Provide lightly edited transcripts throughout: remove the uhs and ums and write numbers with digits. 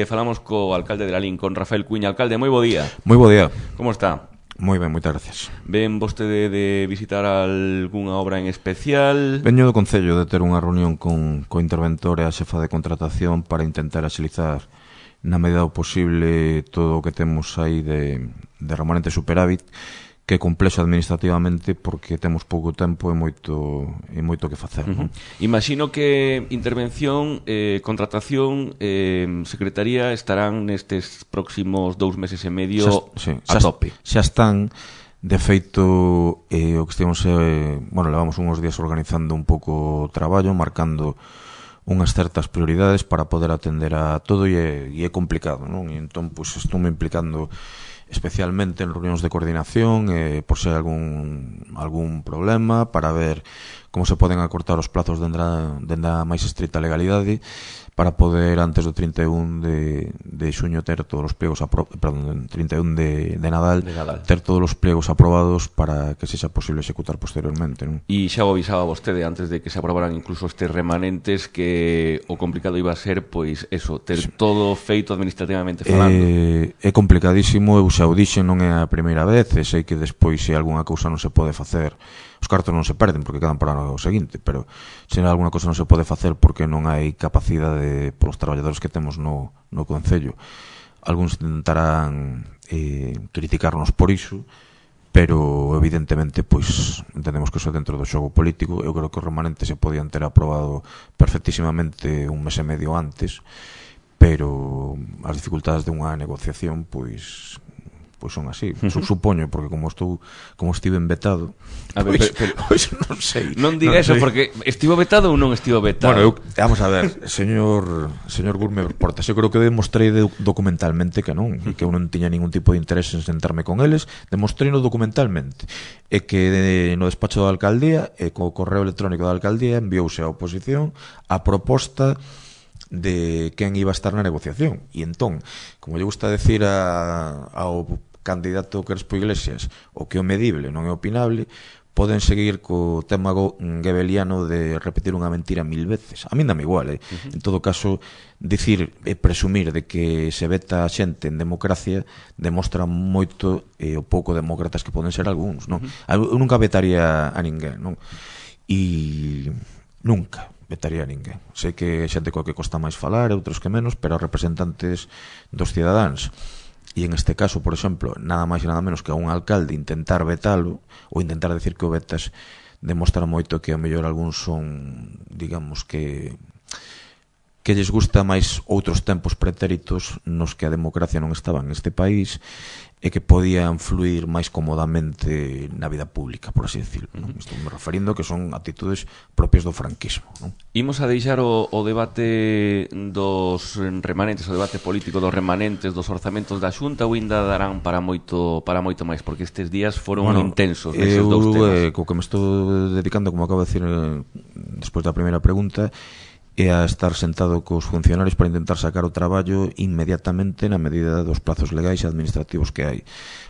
Falamos co alcalde de Lalín, con Rafael Cuiña. Alcalde, moi bo día. Moi bo día. Como está? Moi ben, moitas gracias. Ven vostede de visitar algunha obra en especial? Veño do Concello de ter unha reunión co interventor e a xefa de contratación para intentar axilizar na medida do posible todo o que temos aí de remanente superávit, que é complexo administrativamente porque temos pouco tempo e moito que facer. Imagino que intervención, contratación, secretaría estarán nestes próximos 2 meses e medio a tope. Xa están, de feito, o que estivemos, levamos uns días organizando un pouco o traballo, marcando unhas certas prioridades para poder atender a todo e é complicado, non? E entón, pois, estou me implicando especialmente en reunións de coordinación, por se hai algún problema, para ver como se poden acortar os plazos dende a máis estrita legalidade, para poder antes do 31 de xuño ter todos os pliegos perdón, 31 de Nadal, ter todos os pliegos aprobados para que sexa posible executar posteriormente, non? E xa o avisaba vostede antes de que se aprobaran incluso estes remanentes que o complicado iba a ser, pois, eso, ter todo feito administrativamente falando. É complicadísimo, eu xa o dixen, non é a primeira vez, e sei que despois se algunha cousa non se pode facer, os cartos non se perden porque quedan para o seguinte, pero se algunha cousa non se pode facer porque non hai capacidade polos traballadores que temos no Concello. Algúns intentarán criticarnos por iso, pero evidentemente pois entendemos que iso é dentro do xogo político. Eu creo que os remanentes se podían ter aprobado perfectísimamente un mes e medio antes, pero as dificultades de unha negociación pois son así, supoño, porque como estive vetado, pois non sei. Non diga eso, porque estivo vetado ou non estivo vetado? Bueno, vamos a ver, señor Gurme Portas, eu creo que demostrei documentalmente que non, e que eu non tiña ningún tipo de interés en sentarme con eles, demostrei-no documentalmente, e que no despacho da alcaldía e co correo electrónico da alcaldía enviouse a oposición a proposta de quen iba a estar na negociación. E entón, como lle gusta decir ao candidato Crespo Iglesias, o que é o medible non é opinable, poden seguir co tema gebeliano de repetir unha mentira 1000 veces. A min dame igual, En todo caso, dicir e presumir de que se veta a xente en democracia demostra moito o pouco demócratas que poden ser algúns, non? Eu nunca vetaría a ninguén, non? E nunca vetaría a ninguén. Sei que xente coa que costa máis falar, outros que menos, pero representantes dos cidadáns. E en este caso, por exemplo, nada máis e nada menos que a un alcalde intentar vetalo ou intentar decir que o vetas demostra moito que ao mellor algúns son, digamos que lles gusta máis outros tempos pretéritos nos que a democracia non estaba neste país e que podían fluir máis cómodamente na vida pública, por así decirlo. Estou me referindo que son actitudes propias do franquismo, non? Imos a deixar o debate dos remanentes, o debate político dos remanentes, dos orzamentos da Xunta, ou ainda darán para moito máis, porque estes días foron intensos neses dous temas. Co que me estou dedicando, como acabo de decir despois da primeira pregunta, e a estar sentado cos funcionarios para intentar sacar o traballo inmediatamente na medida dos plazos legais e administrativos que hai.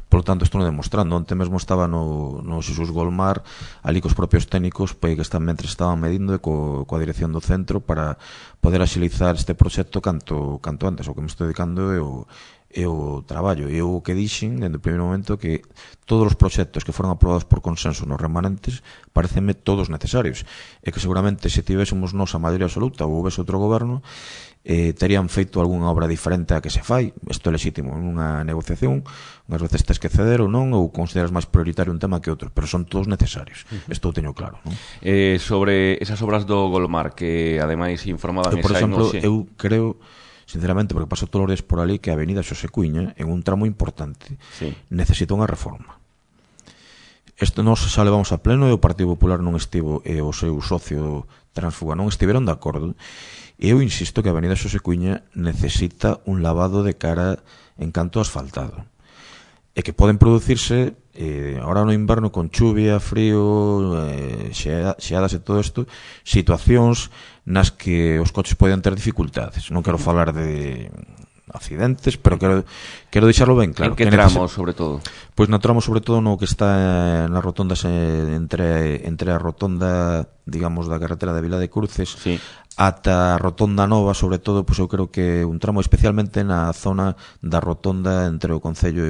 Por lo tanto, estou demostrando. Onte mesmo estaba no Xesús Golmar, ali cos propios técnicos, pois que estaban medindo coa dirección do centro para poder axilizar este proxecto canto antes. O que me estou dedicando é o traballo. E o que dixen, dende o primeiro momento, que todos os proxectos que foron aprobados por consenso nos remanentes parecenme todos necesarios, e que seguramente se tivésemos nos a maioría absoluta ou houvese outro goberno, terían feito algunha obra diferente a que se fai. Isto é lexítimo nunha negociación, unhas veces tes que ceder ou non, ou consideras máis prioritario un tema que outro, pero son todos necesarios. Isto o teño claro, non? Sobre esas obras do Golmar, que ademais informaban por exemplo, eu creo, sinceramente, porque paso todos os días por ali, que a avenida Xosé Cuiña, en un tramo importante, necesita unha reforma. Isto nos xa levamos a pleno e o Partido Popular non estivo, e o seu socio Transfuga non estiveron de acordo, e eu insisto que a avenida Xosé Cuiña necesita un lavado de cara en canto asfaltado, e que poden producirse ahora no inverno con chuvia, frío, xeadas e todo isto, situacións nas que os coches poden ter dificultades. Non quero falar de accidentes, pero quero deixarlo ben claro. En que tramos, sobre todo? Pois na tramo, sobre todo, no que está nas rotondas entre a rotonda, digamos, da carretera de Vila de Cruces, sí, ata a rotonda nova, sobre todo, pois eu creo que un tramo especialmente na zona da rotonda entre o Concello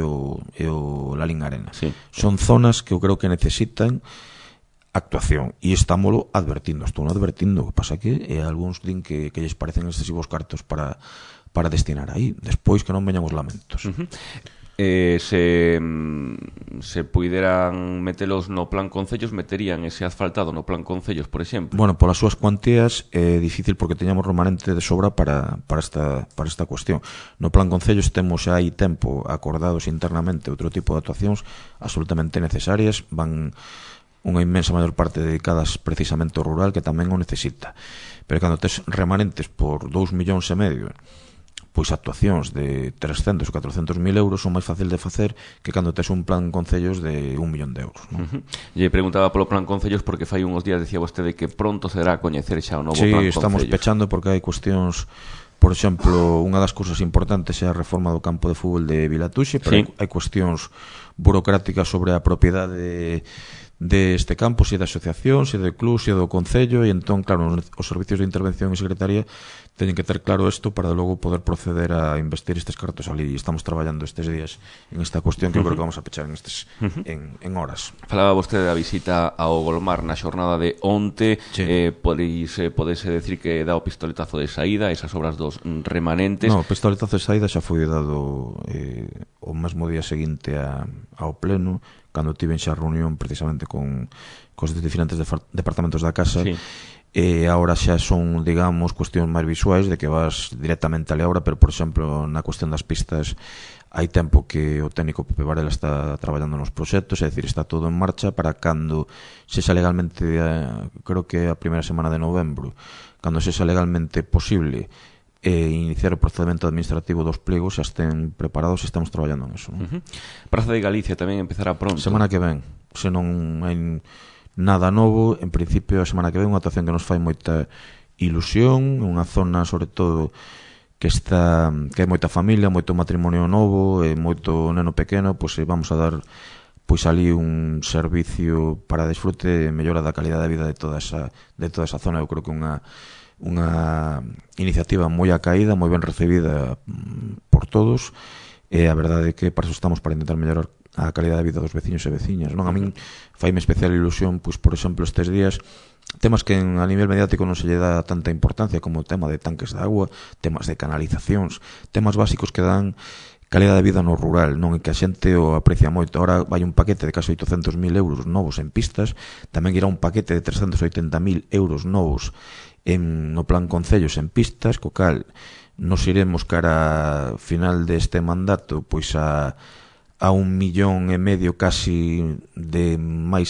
e o Lalín Arena. Sí. Son zonas que eu creo que necesitan actuación, e estámolo advertindo, estou advertindo, o que pasa que algúns din que lles parecen excesivos cartos para destinar aí, despois que non veñan os lamentos. Se puideran metelos no plan concellos, meterían ese asfaltado no plan concellos, por exemplo? Bueno, polas súas cuantías é difícil porque teñamos remanente de sobra para esta cuestión. No plan concellos temos xa hai tempo acordados internamente outro tipo de actuacións absolutamente necesarias, van unha inmensa maior parte dedicadas precisamente ao rural, que tamén o necesita. Pero cando tes remanentes por 2,5 millóns, pois actuacións de 300 ou 400 mil euros son máis fácil de facer que cando tes un plan concellos de 1 millón de euros, non? Lle preguntaba polo plan concellos porque fai uns días decía vostede que pronto se dará a coñecer xa o novo plan concellos. Sí, estamos pechando porque hai cuestións, por exemplo, unha das cousas importantes é a reforma do campo de fútbol de Vilatuxe, pero sí, hai cuestións burocráticas sobre a propiedade deste campo, se da asociación, se do club, se do concello, e entón, claro, os servicios de intervención e secretaría teñen que ter claro isto para logo poder proceder a investir estes cartos ali, e estamos traballando estes días en esta cuestión que eu creo que vamos a pechar en horas. Falaba vostede da visita ao Golmar na xornada de onte, sí. Podese decir que dá o pistoletazo de saída, esas obras dos remanentes. No, o pistoletazo de saída xa foi dado o mesmo día seguinte ao pleno, cando tiven xa reunión precisamente cos diferentes departamentos da casa, sí. E agora xa son, digamos, cuestións máis visuais de que vas directamente a obra, pero, por exemplo, na cuestión das pistas hai tempo que o técnico Pepe Varela está traballando nos proxectos, é dicir, está todo en marcha para cando sexa legalmente, creo que a primeira semana de novembro, cando sexa legalmente posible iniciar o procedimento administrativo dos plegos, xa estén preparados e estamos traballando en eso, non? Praza de Galicia tamén empezará pronto. Semana que ven, se non hai nada novo, en principio a semana que ven unha actuación que nos fai moita ilusión, unha zona sobre todo que hai moita familia, moito matrimonio novo e moito neno pequeno, pois vamos a dar pois ali un servicio para desfrute e mellora da calidad de vida de toda esa zona. Eu creo que unha iniciativa moi acaída, moi ben recibida por todos, e a verdade é que para eso estamos, para intentar mellorar a calidad de vida dos veciños e veciñas, non? A min faime especial ilusión, pois, por exemplo, estes días, temas que a nivel mediático non se lle dá tanta importancia, como o tema de tanques de agua, temas de canalizacións, temas básicos que dan calidad de vida no rural, non? E que a xente o aprecia moito. Ahora vai un paquete de casi 800.000 euros novos en pistas, tamén irá un paquete de 380.000 euros novos no plan concellos en pistas, co cal nos iremos cara final deste mandato pois a 1,5 millón casi de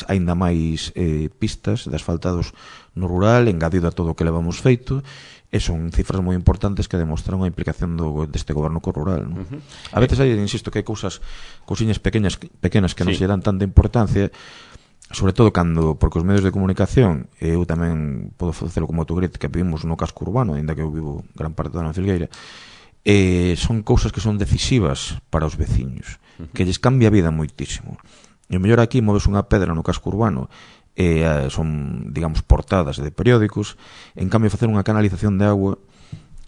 aínda máis pistas de asfaltados no rural, engadido a todo o que levamos feito, e son cifras moi importantes que demostran a implicación deste goberno co rural, non? A veces hai, insisto, que hai cousiñas pequenas que non se dan tanta importancia, sobre todo cando, porque os medios de comunicación, eu tamén podo facelo como autocrítica, vivimos no casco urbano, ainda que eu vivo gran parte da Filgueira, son cousas que son decisivas para os veciños, que lles cambia a vida moitísimo. E o mellor aquí moves unha pedra no casco urbano e son, digamos, portadas de periódicos, en cambio facer unha canalización de agua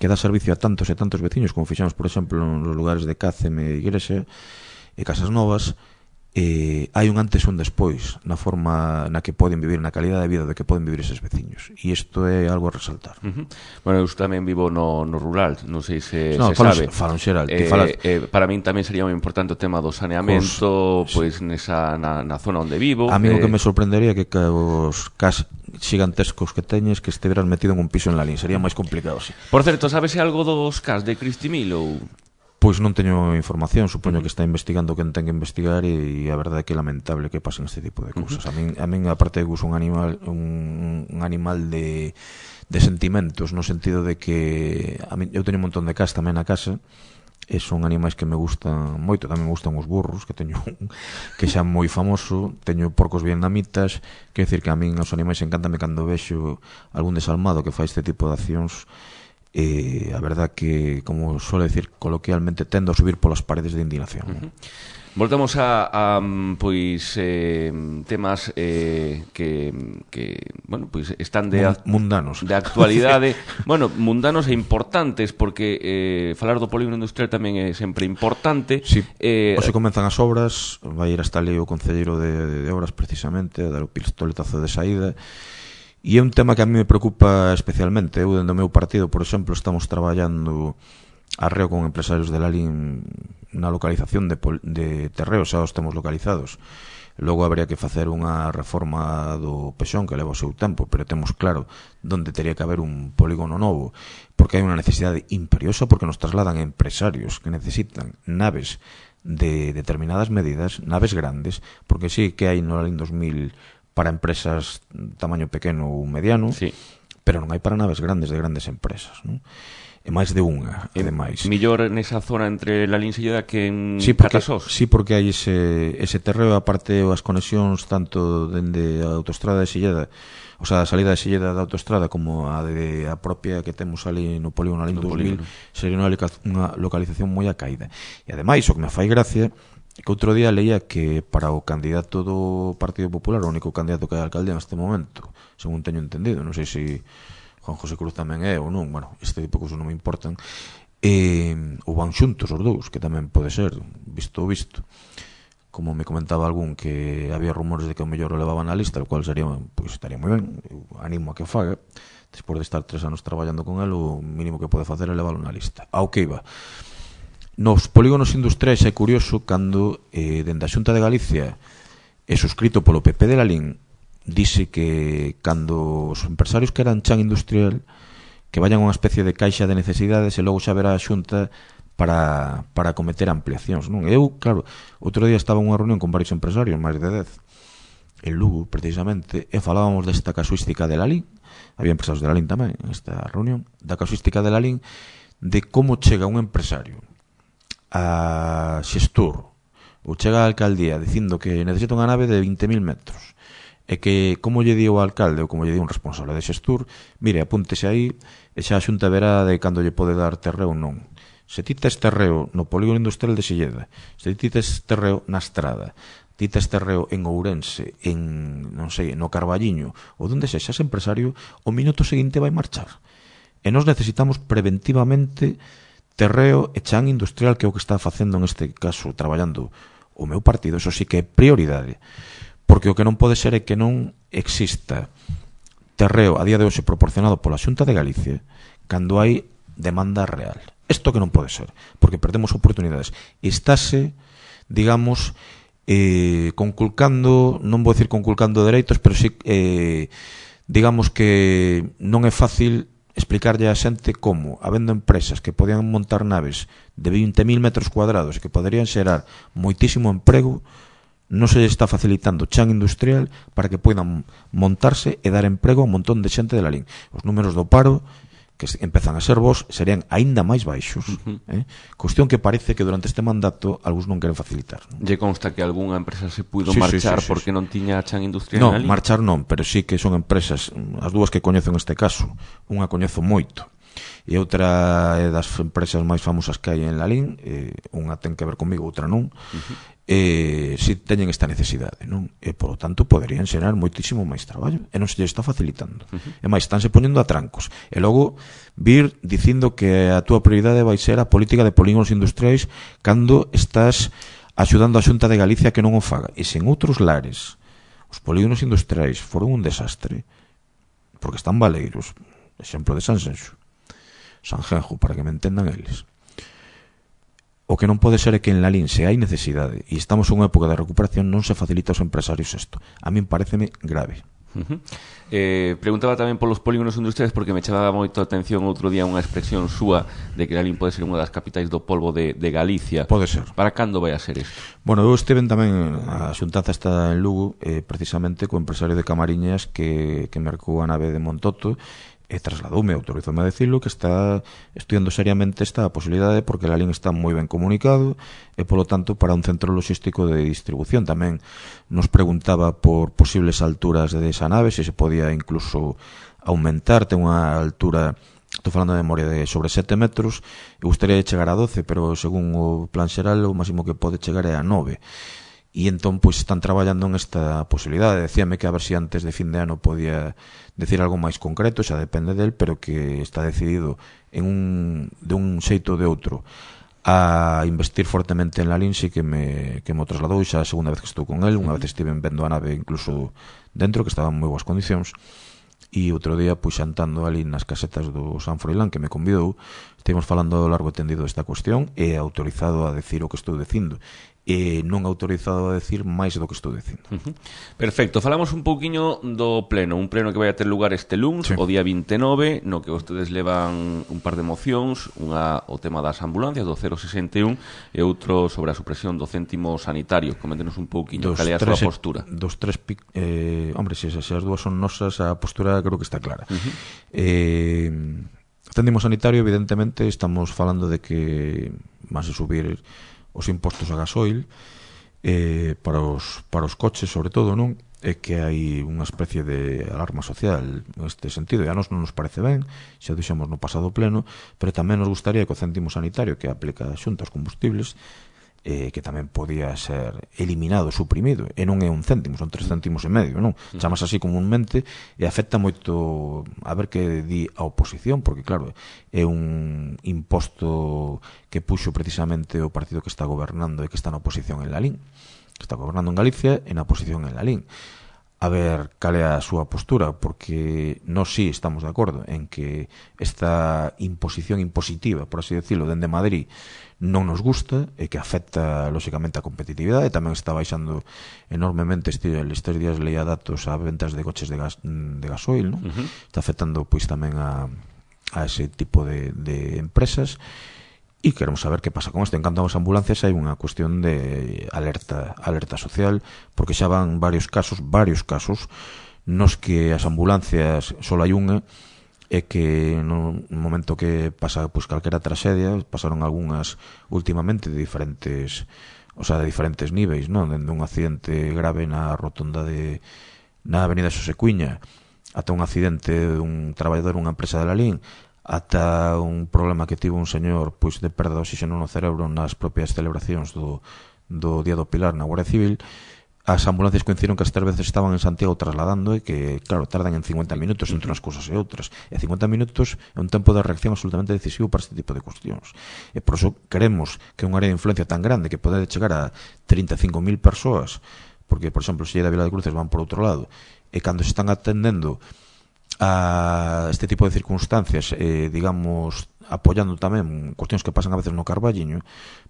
que dá servicio a tantos e tantos veciños, como fixamos, por exemplo, nos lugares de Cáceme, Igrexa e Casas Novas, hai un antes e un despois na forma na que poden vivir, na calidad de vida de que poden vivir eses veciños, e isto é algo a resaltar. Bueno, eu tamén vivo no rural, non sei se sabe. Falan xeral, para min tamén sería moi importante o tema do saneamento, pois nesa na zona onde vivo. A mí o que me sorprendería que os xigantescos que teñes que esteveran metido en un piso en Lalín, sería máis complicado, sí. Por certo, sabese algo dos cas de Cristimil ou... Pois non teño información, supoño que está investigando quen ten que investigar, e a verdade é que é lamentable que pasen este tipo de cousas. A min aparte de gusto un animal de sentimentos, no sentido de que eu teño un montón de cas tamén na casa, e son animais que me gustan moito. Tamén me gustan os burros, que teño que xa moi famoso, teño porcos vietnamitas, quero dicir que a min os animais encántame cando vexo algún desalmado que fai este tipo de accións. a verdad que, como suele decir coloquialmente, tendo a subir polas paredes de indignación. Voltamos a pois temas que bueno, pois están mundanos, de actualidade, bueno, mundanos e importantes, porque falar do polígono industrial tamén é sempre importante. Sí. Hoxe comenzan as obras, vai ir hasta ali o concelleiro de obras precisamente a dar o pistoletazo de saída. E é un tema que a mí me preocupa especialmente. Eu, dentro do meu partido, por exemplo, estamos traballando arreo con empresarios de Lalín na localización de terreos, xa os temos localizados. Logo habría que facer unha reforma do Pexón que leva o seu tempo, pero temos claro onde teria que haber un polígono novo, porque hai unha necesidade imperiosa, porque nos trasladan empresarios que necesitan naves de determinadas medidas, naves grandes, porque sí que hai no Lalín 2000 para empresas tamaño pequeno ou mediano, sí, pero non hai para naves grandes de grandes empresas, non? E máis de unha, e demais. Millor nesa zona entre Lalín e Silleda que en Catasós. Sí, porque hai ese terreo, aparte as conexións tanto dende a autoestrada de Silleda, o sea, a salida de Silleda da autoestrada, como a propia que temos ali no polígono Lalín 2000, sería unha localización moi acaída. E ademais, o que me fai gracia que outro día leía que para o candidato do Partido Popular, o único candidato que hai a alcaldía neste momento, según teño entendido, non sei se Juan José Cruz tamén é ou non, bueno, este tipo de cousas non me importan, ou van xuntos os dous, que tamén pode ser, visto, como me comentaba algún que había rumores de que o mellor o levaban na lista, o cual sería, pois estaría moi ben, eu animo a que o faga, despois de estar 3 anos traballando con el, o mínimo que pode facer é leválo na lista. Ao que iba, nos polígonos industriais é curioso cando dende a Xunta de Galicia é suscrito polo PP de Lalín, dice que cando os empresarios que eran chan industrial que vayan a unha especie de caixa de necesidades e logo xa verá a Xunta para cometer ampliacións, non? Eu, claro, outro día estaba en unha reunión con varios empresarios, máis de 10 en Lugo, precisamente, e falábamos desta casuística de Lalín, había empresarios de Lalín tamén nesta reunión, da casuística de Lalín, de como chega un empresario a xestor ou chega a alcaldía dicindo que necesita unha nave de 20.000 metros e que como lle di o alcalde ou como lle di un responsable de xestur, mire, apúntese aí e xa a Xunta verá de cando lle pode dar terreo ou non. Se ti tes terreo no polígono industrial de Silleda, se ti tes terreo na Estrada, ti tes terreo en Ourense, en, non sei, no Carballiño ou donde sexas empresario, o minuto seguinte vai marchar. E nós necesitamos preventivamente terreo e chan industrial, que é o que está facendo neste caso, traballando o meu partido. Eso sí que é prioridade, porque o que non pode ser é que non exista terreo a día de hoxe proporcionado pola Xunta de Galicia cando hai demanda real. Isto que non pode ser, porque perdemos oportunidades. Estáse, digamos, conculcando, non vou dicir conculcando dereitos, pero sí, digamos que non é fácil explicarlle a xente como, habendo empresas que podían montar naves de 20.000 metros cuadrados e que poderían xerar moitísimo emprego, non se está facilitando chan industrial para que poidan montarse e dar emprego a un montón de xente de Lalín. Os números do paro que empezan a ser vos serían aínda máis baixos. Cuestión que parece que durante este mandato algúns non queren facilitar. Lle consta que algunha empresa se puido marchar porque non tiña chan industrial en Lalín? Non, marchar non, pero sí que son empresas, as dúas que coñezo neste caso, unha coñezo moito e outra é das empresas máis famosas que hai en Lalín, unha ten que ver comigo, outra non, si teñen esta necesidade, non? E polo tanto poderían xerar moitísimo máis traballo e non se lle está facilitando. E máis, estánse poñendo a trancos e logo vir dicindo que a túa prioridade vai ser a política de polígonos industriais cando estás axudando a Xunta de Galicia que non o faga. E se en outros lares os polígonos industriais foron un desastre porque están baleiros, exemplo de Sanxenxo, Sanjenjo, para que me entendan eles. O que non pode ser é que en Lalín, se hai necesidade e estamos en unha época de recuperación, non se facilita aos empresarios isto. A min pareceme grave. Preguntaba tamén polos polígonos industriais porque me chamaba moito a atención outro día unha expresión súa de que Lalín pode ser unha das capitais do polvo de Galicia. Pode ser. Para cando vai a ser isto? Bueno, eu estiven tamén, a xuntanza está en Lugo, precisamente co empresario de Camariñas que mercou a nave de Montoto e trasladoume, autorizoume a decirlo, que está estudiando seriamente esta posibilidade porque Lalín está moi ben comunicado e, polo tanto, para un centro logístico de distribución. Tamén nos preguntaba por posibles alturas de esa nave, se se podía incluso aumentar, ten unha altura estou falando de memoria de sobre 7 metros, e gustaría chegar a 12, pero según o plan xeral o máximo que pode chegar é a 9. E entón, pois, están traballando en esta posibilidade. Decíame que a ver se antes de fin de ano podía decir algo máis concreto, xa depende del, pero que está decidido de un xeito ou de outro a investir fortemente en Lalín. Sí que me trasladou, xa a segunda vez que estou con el, unha vez estive vendo a nave incluso dentro, que estaba en moi boas condicións, e outro día, pois, xantando ali nas casetas do San Froilán, que me convidou, estivemos falando largo e tendido desta cuestión, e autorizado a decir o que estou dicindo, e non autorizado a decir máis do que estou dicindo. Perfecto, falamos un pouquiño do pleno, un pleno que vai a ter lugar este luns, o día 29, no que vostedes levan un par de mocións, unha o tema das ambulancias do 061 e outro sobre a supresión do céntimo sanitario. Coméntenos un pouquiño cal é a súa postura. Hombre, se as dúas son nosas, a postura creo que está clara. Céntimo sanitario, evidentemente, estamos falando de que vas a subir os impostos a gasoil para os coches, sobre todo, non? É que hai unha especie de alarma social neste sentido, e a nos non nos parece ben, xa o dixemos no pasado pleno, pero tamén nos gustaría que o céntimo sanitario que aplica a Xunta aos combustibles, que tamén podía ser eliminado, suprimido, e non é un céntimo, son 3 céntimos e medio, non? Chamas así comúnmente e afecta moito a ver que di a oposición, porque claro, é un imposto que puxo precisamente o partido que está gobernando e que está na oposición en Lalín, que está gobernando en Galicia e na oposición en Lalín. A ver cal é a súa postura, porque nós sí estamos de acordo en que esta imposición impositiva, por así decirlo, dende Madrid, non nos gusta e que afecta lóxicamente a competitividade. Tamén está baixando enormemente estes días, leía datos a ventas de coches de gasoil, non? Está afectando pois tamén a ese tipo de empresas, e queremos saber que pasa con isto. En canto ás ambulancias, hai unha cuestión de alerta social, porque xa van varios casos nos que as ambulancias só hai unha, é que no momento que pasa pois calquera traxedia, pasaron algunhas últimamente de diferentes níveis, non? Dende un accidente grave na rotonda na avenida Xosecuiña, ata un accidente dun traballador dunha empresa de Lalín, ata un problema que tivo un señor pois de perda de oxígeno no cerebro nas propias celebracións do Día do Pilar na Guardia Civil. As ambulancias coincidiron que as 3 veces estaban en Santiago trasladando, e que, claro, tardan en 50 minutos entre unhas cousas e outras, e 50 minutos é un tempo de reacción absolutamente decisivo para este tipo de cuestións, e por iso queremos que unha área de influencia tan grande, que pode chegar a 35.000 persoas, porque, por exemplo, se de Vila de Cruces van por outro lado, e cando se están atendendo a este tipo de circunstancias, digamos, apoyando tamén cuestións que pasan a veces no Carballiño,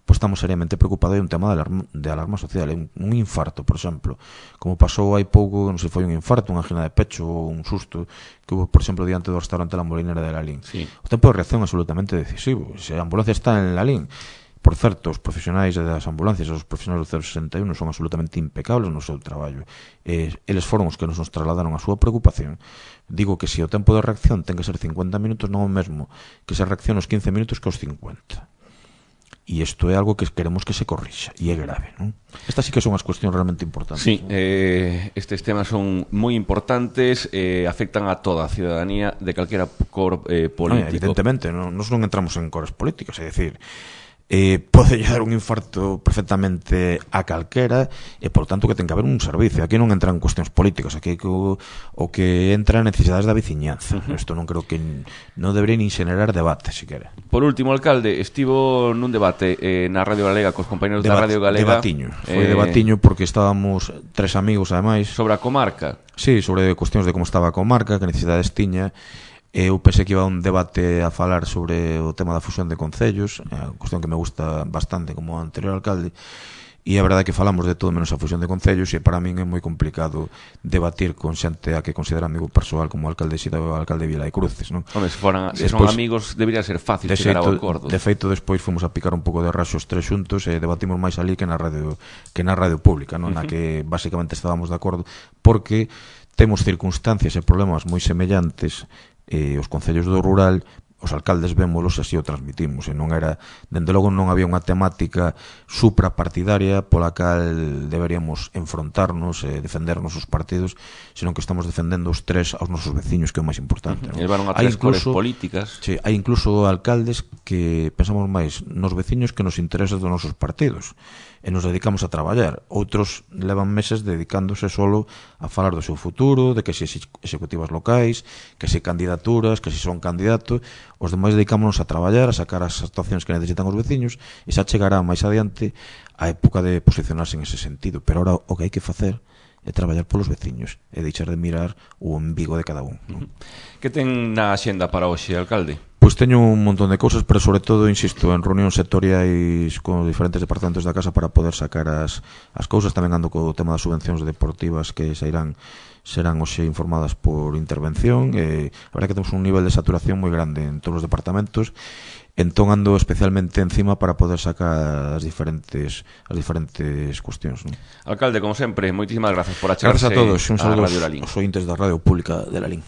pois estamos seriamente preocupados. Hai un tema de alarma social, un infarto, por exemplo, como pasou hai pouco, non sei, foi un infarto, unha angina de pecho ou un susto que hubo, por exemplo, diante do restaurante La Molinera de Lalín. Sí. O tempo de reacción é absolutamente decisivo. Se a ambulancia está en Lalín, por certo, os profesionais das ambulancias, os profesionais do 061 son absolutamente impecables no seu traballo. Eles foron os que nos trasladaron a súa preocupación. Digo que se o tempo de reacción ten que ser 50 minutos, non o mesmo que se reacciona os 15 minutos que os 50. E isto é algo que queremos que se corrixa, e é grave, non? Estas sí que son as cuestións realmente importantes. Sí, estes temas son moi importantes, afectan a toda a ciudadanía de calquera cor político. Evidentemente, nos non entramos en cores políticos, é dicir, pode dar un infarto perfectamente a calquera, e por tanto que ten que haber un servicio. Aquí non entran cuestións políticas, aquí o que entra en necesidades da veciñanza. Isto non creo que non debería nin xenerar debate, siquera. Por último, alcalde, estivo nun debate na Radio Galega cos compañeros da Radio Galega. Foi debatiño porque estábamos 3 amigos ademais. Sobre a comarca. Sí, sobre cuestións de como estaba a comarca, que necesidades tiña. Eu pensei que iba a un debate a falar sobre o tema da fusión de concellos, a cuestión que me gusta bastante como anterior alcalde, e a verdade é que falamos de todo menos a fusión de concellos, e para min é moi complicado debatir con xente a que considera amigo persoal como o alcalde Xida ou o alcalde de Vila de Cruces, non? Home, se son amigos debería ser fácil chegar ao acordo. De feito, despois fomos a picar un pouco de raxo os 3 xuntos e debatimos máis ali que na radio pública, non? Na que basicamente estábamos de acordo, porque temos circunstancias e problemas moi semellantes. Os concellos do rural os alcaldes vémolos e así o transmitimos, e non era, dende logo non había unha temática suprapartidaria pola cal deberíamos enfrontarnos e defendernos os partidos, senón que estamos defendendo os tres aos nosos veciños, que é o máis importante, non? Levaron a tres cores políticas. Sí, hai incluso alcaldes que pensamos máis nos veciños que nos intereses dos nosos partidos e nos dedicamos a traballar. Outros levan meses dedicándose solo a falar do seu futuro, de que se executivas locais, que se candidaturas, que se son candidato. Os demais dedicámonos a traballar, a sacar as actuacións que necesitan os veciños, e xa chegará máis adiante a época de posicionarse en ese sentido. Pero ahora o que hai que facer é traballar polos veciños e deixar de mirar o umbigo de cada un, non? Que ten na axenda para hoxe, alcalde? Pois teño un montón de cousas, pero sobre todo, insisto, en reunións sectoriais con diferentes departamentos da casa para poder sacar as cousas. Tamén ando co tema das subvencións deportivas que serán hoxe informadas por intervención. A verdade que temos un nivel de saturación moi grande en todos os departamentos, entón ando especialmente encima para poder sacar as diferentes cuestións, non? Alcalde, como sempre, moitísimas gracias por achegarse. Gracias a todos, un saludo aos ointes da Radio Pública de Lalín.